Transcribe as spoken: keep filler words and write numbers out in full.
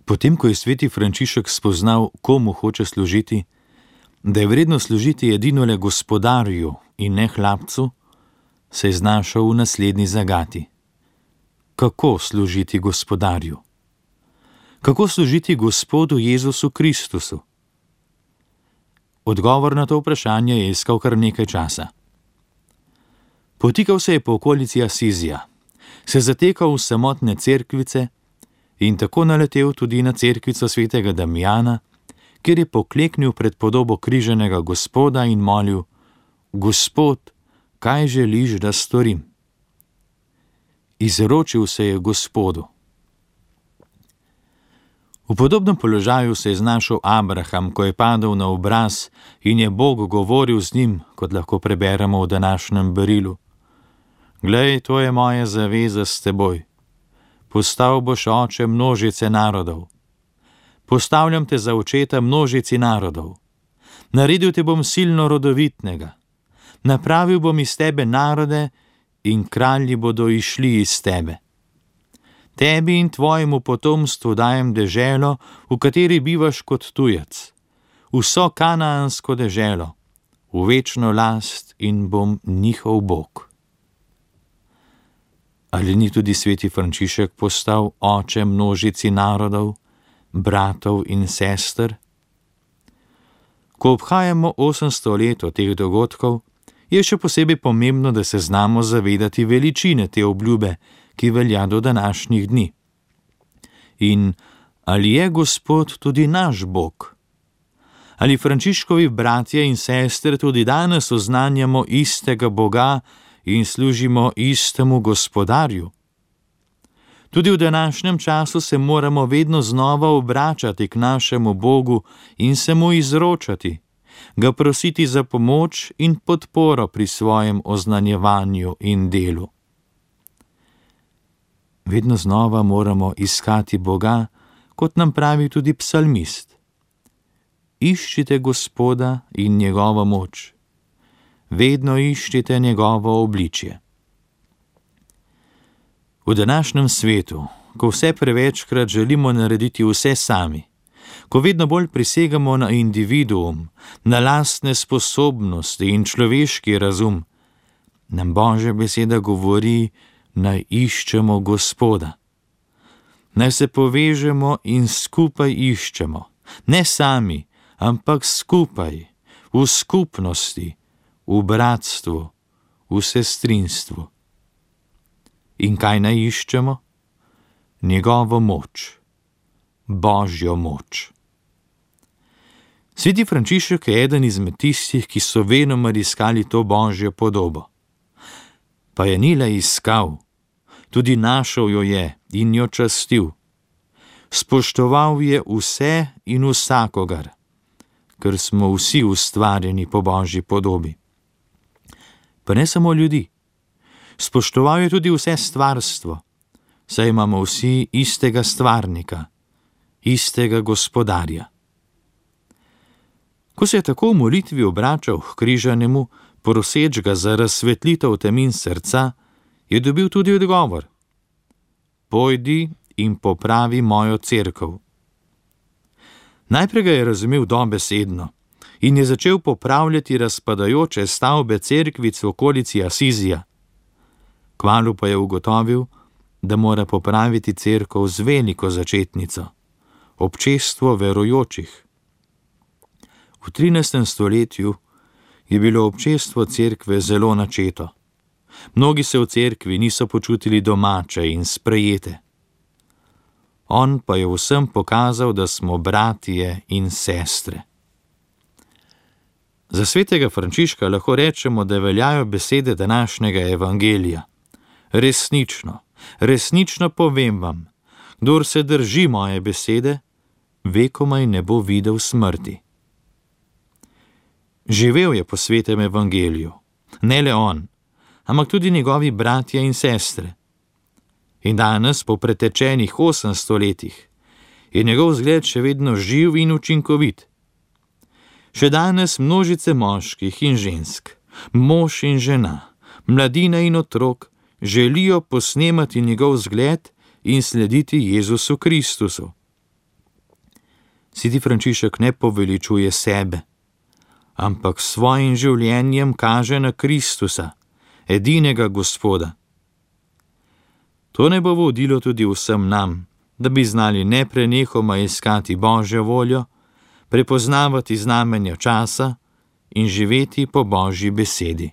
Potem, ko je sveti Frančišek spoznal, komu hoče služiti, da je vredno služiti edino le Gospodarju in ne hlapcu, se je znašel v naslednji zagati. Kako služiti Gospodarju? Kako služiti Gospodu Jezusu Kristusu? Odgovor na to vprašanje je iskal kar nekaj časa. Potikal se je po okolici Asizija, se zatekal v samotne cerkvice in tako naletel tudi na cerkvico svetega Damjana, kjer je pokleknil pred podobo križanega Gospoda in molil: Gospod, kaj želiš, da storim? Izročil se je Gospodu. V podobnem položaju se je znašel Abraham, ko je padel na obraz in je Bog govoril z njim, kot lahko preberemo v današnjem berilu. Glej, to je moja zaveza s teboj. Postal boš oče množice narodov. Postavljam te za očeta množici narodov. Naredil te bom silno rodovitnega. Napravil bom iz tebe narode in kralji bodo išli iz tebe. Tebi in tvojemu potomstvu dajem deželo, v kateri bivaš kot tujec, vso kanaansko deželo, v večno last in bom njihov Bog. Ali ni tudi sveti Frančišek postal oče množici narodov, bratov in sester? Ko obhajamo osemsto let od teh dogodkov, je še posebej pomembno, da se znamo zavedati veličine te obljube, ki velja do današnjih dni. In ali je Gospod tudi naš Bog? Ali Frančiškovi bratje in sestre tudi danes oznanjamo istega Boga in služimo istemu Gospodarju? Tudi v današnjem času se moramo vedno znova obračati k našemu Bogu in se mu izročati, ga prositi za pomoč in podporo pri svojem oznanjevanju in delu. Vedno znova moramo iskati Boga, kot nam pravi tudi psalmist. Iščite Gospoda in njegovo moč. Vedno iščite njegovo obličje. V današnjem svetu, ko vse prevečkrat želimo narediti vse sami, ko vedno bolj prisegamo na individuum, na lastne sposobnosti in človeški razum, nam Božja beseda govori, naj iščemo Gospoda. Naj se povežemo in skupaj iščemo, ne sami, ampak skupaj, v skupnosti, v bratstvu, v sestrinstvu. In kaj naj iščemo? Njegovo moč, Božjo moč. Sveti Frančišek je eden izmed tistih, ki so venomer iskali to Božjo podobo. Pa je ni le iskal, tudi našel jo je in jo častil. Spoštoval je vse in vsakogar, ker smo vsi ustvarjeni po Božji podobi. Pa ne samo ljudi. Spoštoval je tudi vse stvarstvo, saj imamo vsi istega stvarnika, istega Gospodarja. Ko se je tako v molitvi obračal k križanemu, proseč ga za razsvetlitev temin srca, je dobil tudi odgovor: Pojdi in popravi mojo cerkev. Najprej ga je razumel dobesedno in je začel popravljati razpadajoče stavbe cerkvic v okolici Asizija. Kmalu pa je ugotovil, da mora popraviti cerkev z veliko začetnico, občestvo verujočih. V trinajstem stoletju je bilo občestvo cerkve zelo načeto. Mnogi se v cerkvi niso počutili domače in sprejete. On pa je vsem pokazal, da smo bratje in sestre. Za svetega Frančiška lahko rečemo, da veljajo besede današnjega evangelija. Resnično, resnično povem vam, kdor se drži moje besede, vekomaj ne bo videl smrti. Živel je po svetem evangeliju, ne le on, ampak tudi njegovi bratje in sestre. In danes, po pretečenih osemsto letih, je njegov zgled še vedno živ in učinkovit. Še danes množice moških in žensk, mož in žena, mladina in otrok želijo posnemati njegov zgled in slediti Jezusu Kristusu. Sveti Frančišek ne poveličuje sebe, ampak s svojim življenjem kaže na Kristusa, edinega Gospoda. To ne bo vodilo tudi vsem nam, da bi znali neprenehoma iskati Božjo voljo, prepoznavati znamenja časa in živeti po Božji besedi.